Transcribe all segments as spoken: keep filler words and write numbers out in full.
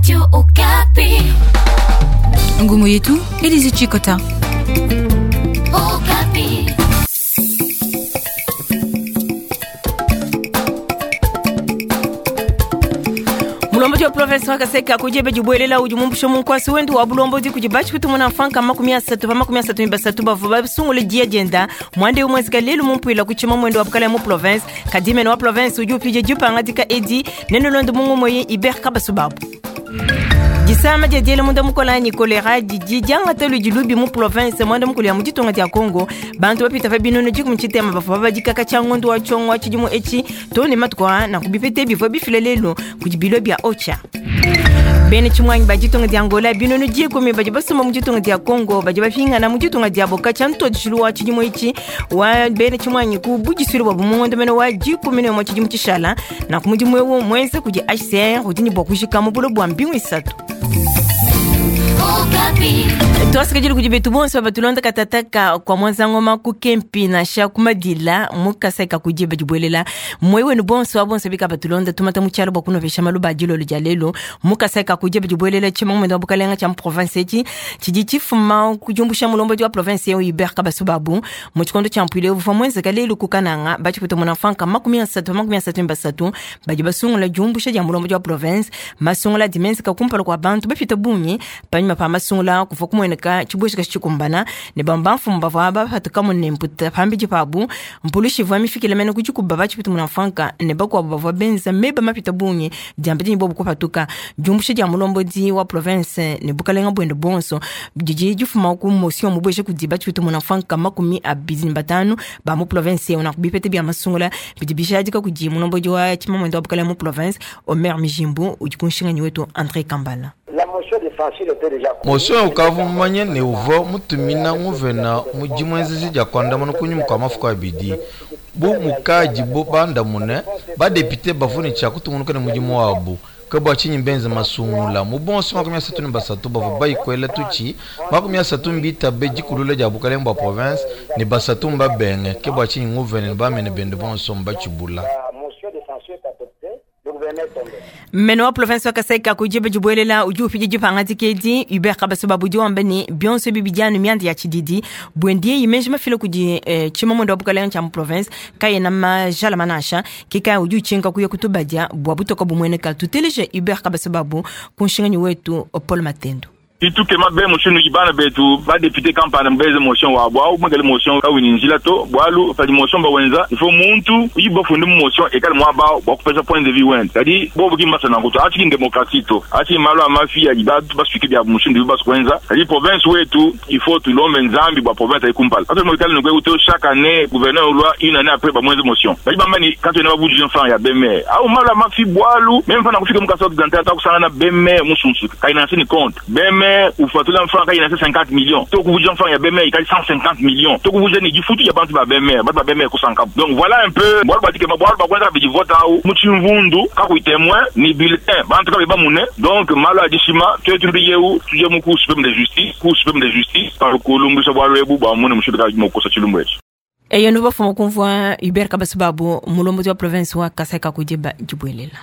Radio Okapi. Ngumu yetu Elise Chikota. Okapi. Mulombodi wa province wa Kasai kakujebe jibwelela udi mumbushe munkwasi wendu wa bulombodi kudi bachi kutumuna mfanka makumi asatu pa makumi asatu ni basatu bavua basungule dia dienda mwande umwezika lelu mumpuila kuchima mwendo wa bukala mu province kadimene wa province udi upije jipangadika edi nene londo mungu moye Iber Kabasubabu. Disama dia diele munda mukola ni kolera didi diangata ludi lubi mu province mwanda mukulu ya muditunga dia Congo bantu bapita pa binono dikumi tshitema bavua babadikaka tshia ngondu wa tshiongo wa tshidimu etshi to ne matuku a nanku bipete bivua bifile lelu kudi bilo bia Ocha. Bene tshimwanyi ba ditunga dia Angola binono dikumi badi basomba mu ditunga dia Congo badi bapingana mu ditunga diabo katshia ntodishilu wa tshidimu etshi wa bene tshimwanyi ku budisuile bua bumungondo mene wa dikumi ne umue tshidimu tshishala nanku mudimu ewu muenza kudi H C R udi ne bua kujika mu bulo bua mbingu isatu. Twasikajili kudi betu bonso batulonda katataka kwa mwanzangoma ku kempi na sha kumadila mukasa ka kujiba jibwelela mwewe ni bonso abonso bika batulonda tumata muchalo bwa kunovesha maluba jilo lya lelo mukasa ka kujiba jibwelela chima mwendo bukalenga cha province echi chiji chifuma kujumbusha mulombo wa province ya Hubert Kabasubabu mu chikondo cha mpwile uva mwenze kalelu kukananga bachiputa mwana makumi asatu makumi asatu mbasatu baji basungula jumbusha ja mulombo wa province masungula dimensi ka kumpala kwa bantu bafita bunyi panyuma pa masungula kuva kumweneka chibushika chikumbana ne bamba mfumu bava bapatuka mu nemputa pambiji pabu mpulushi vwa mifikile mene kuchikuba bachiputa muna mfanka ne bakwabo bavua benza meba mapita bunyi diamba dinyi bobu kupatuka jumbusha dia mulombodi wa province ne bukalenga bwende bonso didi difuma ku motion mubweshe kudi bachiputa muna mfanka makumi abidi ne batanu ba mu province una kubipete bya masungula bidi bishadika kudi mulombodi wa chimamwendo wa bukalenga mu province Omer Mijimbu udi kunshinganyi wetu André Kambala. Motion ukavumanye ne uva mutumina nguvena mujimwenzezi dia kwandamana kunyuma kwa mafuko abidi bu mukaji bu bandamune badepite bavune tshia kutungunuka ne mudimu wabu kabwa chinyi mbenze masungula mu bonso makumi asatu ne basatu bavua bayikwela tutshi makumi asatu mbita be dikulula dia bukalenga bua province ne basatu mbabenge ke bua chinyi nguvene ne bamene bende bonso mbatshibula. Meno wa province wa Kasai kakujebe jibwelela udi upije jipangadika edi Hubert Kabasubabu udi wamba ne bionso ebi bidi anu mianda ya tshididi bwendie imenji mafile kudi eh, tshimamondo wa bukalenga tshia mu province kayena majala manasha kikaya udi utshinka kuya kutubadia bua butoka bumueneka tuteleje Hubert Kabasubabu ku nshinganyi wetu Paul Matendo. Ituke mabe motion ibana betu ba député campagne mbeze motion wa bwa umagale motion ka winjila to bwalu pa motion ba wenza il faut muntu yibo funde motion ekal mwa ba bwa kupesa point de vue went c'est-à-dire bo buki masana ko ati démocratie to ati malo amafi ya ba ba suki bya motion de ba kwenza c'est-à-dire province wetu il faut tout l'homme nzambi bwa province ikumpala ato mo kale ngwe to chaque année gouverneur loi une année après ba moins motion ba ba mani quand on a budget franc ya B M R au malo amafi bwalu même fana kufika mukasa occidental ta kusana na B M R musunsu kaina ni compte B M R ou fatula franc il y a cinquante millions to ku franc il y a B M R il y a cent cinquante millions to ku ni difutu ya bantu ba B M R ba B M R ku cent donc voilà un peu bwa ba dike ba ba kwanza bi vote au muchimvundu ka ku témoin ni bulletin bantu ka ba mune donc malo adishima to tu yeu tuje mu ku suprême de justice ku suprême de justice par kulumbu sa bwa lebu ba mune mushuka mo kosa chilumbu echi eyo no bafuma kumvwa Hubert Kabasubabu mulombo wa province wa Kasai kakujeba jibwelela.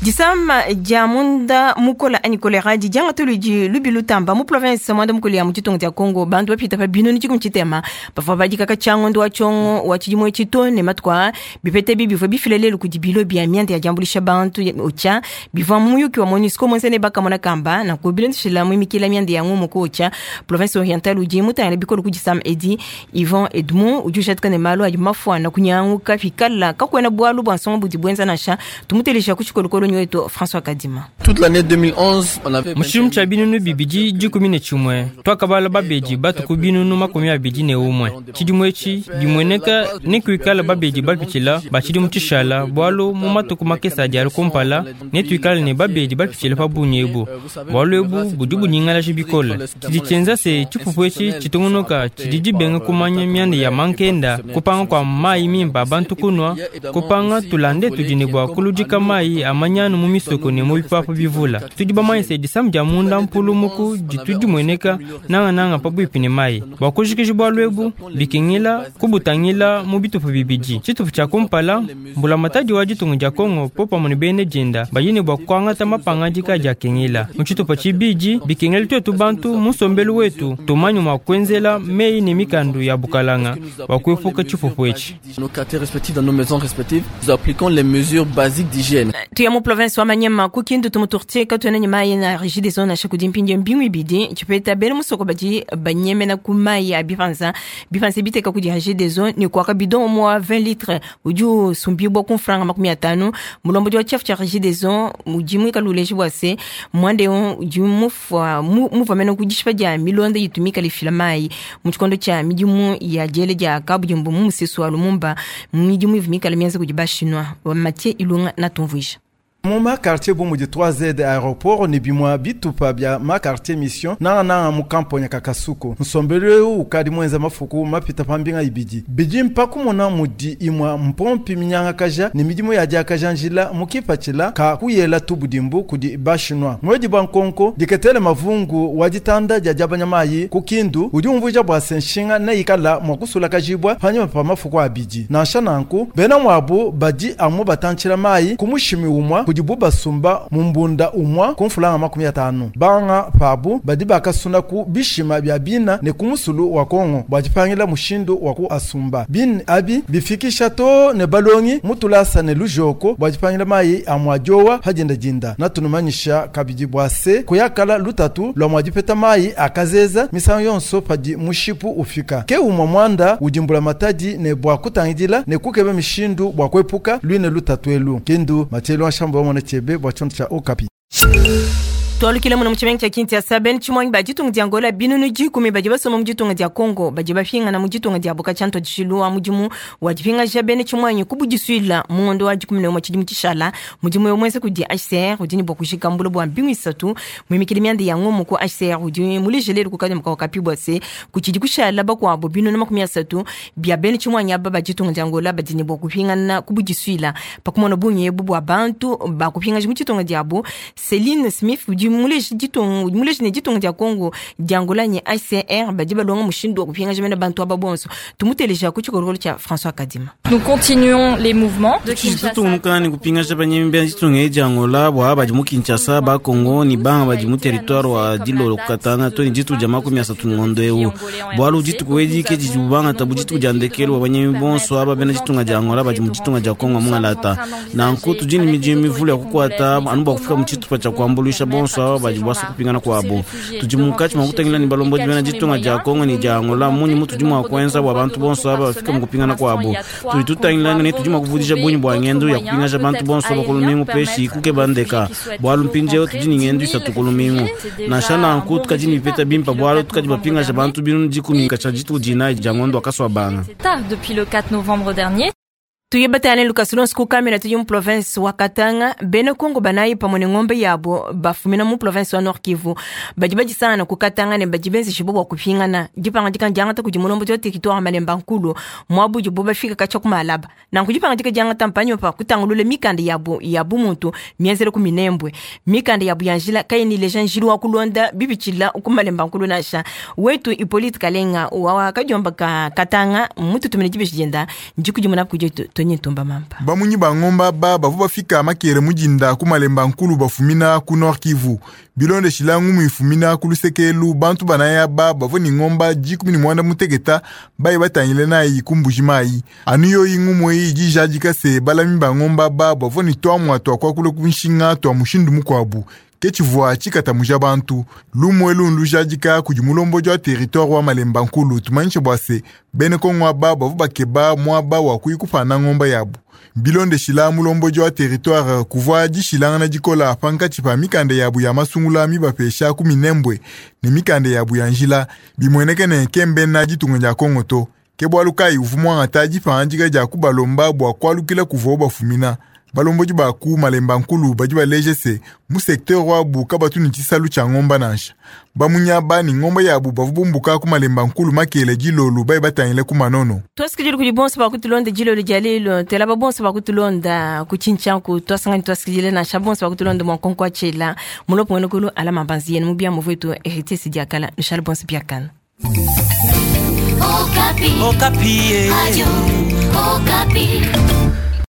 Disama dia munda mukola ani kolera di dianga tulu di lubi lutamba mu province mwanda mukoli ya muchitongo dia Congo bantu bapita pa bino ni chikumu chitema bavua badikaka tshia ngondo wa tshiongo wa tshidimu etshi to ne matuku bipete bi bivua bifile lelu kudi bilo bia mianda ya diambuluisha bantu otshia bivua muyuki wa MONUSCO muenza ne bakamona kamba nanku bilondeshila muimikila mianda ya ngumu ku otshia province orientale udi mutangila bikolo ku disama edi Yvon Edmond udi ushatika ne malu adi mafuana kunyanguka pikala kakuena bualu bua nsongo budi buenza nansha tumutelesha ku tshikolokolo wetu François Kadima. Toute l'année deux mille onze, on avait Mushim cha binunu bibidi dikumi ne chimwe. Twakabala babeji batuku binunu makumi abidi ne umwe. Chidimwe echi bimweneka ne kuikala babeji bapichila bachidi muchishala bwalu mu matuku makesa adi ali kumpala ne tuikala ne babeji bapichila pa bunyebu. Bwalu ebu budi bunyingala bikole. Chidi chenza se chipupu echi chitungunuka chidi dibenga kumanya mianda ya mankenda kupanga kwa mayi mimpa bantu kunwa kupanga tulande tudine bwa kuludika mayi amanya minyanu mu misoko ne mu bipapu bivula. Tudi bamanye se disamu dia munda mpulumuku ditu dimueneka nangananga pabuipi ne mayi. Bua kujikija bualu ebu bikengela kubutangila mu bitupa bibidi. Tshitupa tshia kumpala, mbulamatadi wa ditunga dia Kongo popamue ne bene dienda badi ne bua kuangata mapangadika adi akengela. Mu tshitupa tshibidi, bikengela tuetu bantu mu nsombelu wetu tumanye mua kuenzela meyi ne mikandu ya bukalanga bua kuepuka tshipupu etshi. Nos quartiers respectifs, dans nos maisons respectives, nous appliquons les mesures basiques d'hygiène. Tuya mu province wa Manyema ku Kindu tumuturtie katuena ne mayi na Regideso nansha kudi mpindieu mbingu ibidi tshipeta bena musoko badi banyemena ku mayi a bipanza bipanza biteka kudi Regideso ne kuaka bidon umue wa vingt litres udi usumbibua ku mfranga makumi atanu. Mulombodi wa tshiafu tshia Regideso udi muikale uleja bua se muanda eu udi mufua muvua mene ku dishipa dia milonda itu mikale ifila mayi mu tshikondo tshia midimu ya diele dia kabudimbu mu musesu wa Lumumba, midimu ivua mikale mienza kudi Bashinwa. Mathieu Ilunga natumvuija. Mu ma quartier bu mudi trois Z aéroport ne bimua bitupa bia ma quartier mission nangananga mu kamponya ka Kasuku. Nsombelu eu ukadi muenza mafuku mapita pa mbinga ibidi. Bidi mpa kumona mudi imua mpompi minyangakaja ne midimu ya diakaja njila mu kipatshila ka kuyela tubudimbu kudi Bashinwa. Mwedi bua nkonko diketele mavungu wa ditanda dia diabanya mayi ku Kindu udi umvuija bua se nshinga neikala mua kusulakajibua panyima pa mafuku abidi. Nansha nanku bena muabu badi amu batantshila mayi ku mushimi umua kudi basumba mumbunda umwa ku mfulanga makumi atanu. Banga pabu badi bakasuna ku bishima bia bina ne ku musulu wa Kongo bua dipangila mushindu wa ku asumba bin abi bifikisha to ne balongi mutulasa ne lujoko bua dipangila mayi a muadiowa hadinda dinda. Natunumanyisha kabidi bua se kuyakala lutatu lua muadipeta mayi akazeza misangu yonso padi mushipu ufika ke umwa mwanda udimbula matadi ne bua kutangidila ne kukeba mishindu bua kuepuka luine lutatu elu. Kindu Mathieu Washambo mwana chebe bua chonto cha Okapi. Twalukile muno mu tshimenga tshia Kinshasa bena tshimuangi ba ditunga dia Angola binunu dikumi badi basoma mu ditunga dia Congo badi bapingana mu ditunga diabo katshia ntuadijilu wa mudimu wa dipingaja bena tshimuangi ku budisuila mu ngondo wa dikumi ne umue tshidimu tshishala. Mudimu eu muenza kudi H C R udi ne bua kujika mbula bua mbingu isatu muimikile mianda ya ngomo ku H C R udi muleje lelu ku kadima ka Okapi bua se kutshidi kushala bakuabo binunu makumi asatu bia bena tshimuangi aba ba ditunga dia Angola badi ne bua kupingana ku budisuila pakumona bungi ebu bua bantu bakupingaja mu ditunga diabo. Celine Smith udi muleje ditunga muleje ne ditunga dia Congo dia Angola ne H C R badi balonga mushindu wa kupingaja mena bantu aba bonso. Tumuteleja ku tshikolokolo tshia François Kadima. Nous continuons les mouvements de Kinshasa. Tutungunuka ne kupingaja banyemi bia ditunga dia Angola bua badi mu Kinshasa ba Congo ni banga badi mu territoire wa Dilolo Katanga to ni ditu dia makumi asatu ngondo eu. Bualu dituku edi ke didi bangata bu dituku dia ndekelu wa banyemi bonso aba bena ditunga dia Angola badi mu ditunga dia Congo mungalata. Nanku tudi ne midimu mivule ya kukuata anu bua kufika mu tshitupa tshia kuambuluisha bonso aba badi bwasa kupingana kwabo. Tudi munkatshi mua kutangila ni balombodi bena ditunga dia Kongo ni dia Angola munyi mutu tudi mua kuenza bua bantu bonso aba bafika mu kupingana kwabo. Tudi tutangila ne tudi mua kuvudisha bunyi bua ngendo ya kupingaja bantu bonso aba kulumingu peshi kuke bandeka. Bualu mpindieu tudi ni ngendo isatu kulumingu. Nansha nanku tukadi ni bipeta bimpa bualu tukadi bapingaja bantu binunu dikumi katshia dituku dinayi dia ngondo wa kasua banga. Depuis le quatre novembre dernier. Tuyebatane Lucas Lonso ku kamera tudi mu province wa Katanga bena Kongo banayi pamue ne ngombe yabo bafumina mu province wa Nord Kivu badi badisangana ku Katanga ne badi benzesha bua kupingana dipangadika diangata kudi mulombodi wa territoire Malemba Nkulu muabu bo bafika katshia ku Malaba nanku dipangadika diangata mpanyo pa kutangulula mikanda yabo ya bumuntu mienzele ku Minembwe mikanda yabo ya njila kayini leja njilu wa kulonda bibitshila ku Malemba Nkulu nansha wetu Hippolyte Kalenga wa kadiomba ka Katanga mututumine dibeji dienda ndikudimuna kudi Ntumba mamba. Bamunyi bangomba ba bavu bafika makere mujinda ku Malemba Nkulu bafumina ku Nord Kivu. Bilonde shilangu muifumina ku lusekelu bantu banaya ba bavu ni ngomba jikumi ni mwanda mutegeta bayi batangile nayi kumbuji mayi. Anu yoyi ngumu eyi ijijadika se balami bangomba ba bavu ni twamwa twakwa kule kunshinga twa mushindu mukwabu. Ke tshivua tshikatamuja bantu lumue lundu jadika kudi mulombodi wa territoire wa Malemba Nkulu tumanyishe bua se bene Kongo aba bavu bakeba muaba wa kuyikupana ngomba yabu. Bilondeshila mulombodi wa territoire kuvua dishilangana dikola pankatshi pa mikanda yabu ya masungula mibapesha ku Minembwe ne mikanda yabu ya njila bimueneke ne kembena ditunga dia Kongo to. Ke bualu kayi uvua muangata dipangadika dia kubalomba bua kualukila kuvua bafumina. Balomboji baku malemba nkulu badi baleje se mu secteur wabu kabatu ni tshisalu tshia ngomba nansha. Bamunyaba ni ngomba yabu bavu bumbuka ku malemba nkulu makele dilolu bayi batangile ku manono. Twasikidile kudi bonso bakutulonda dilolo dia lelo tela ba bonso bakutulonda kutshinchanku twasangani twasikidile nansha bonso bakutulonda mwankonko atshela mulopo mwene kulu ala mabanzi yenu mubia muvetu héritier sidiakala nushale bonso biakana. Okapi. Okapi. Radio Okapi.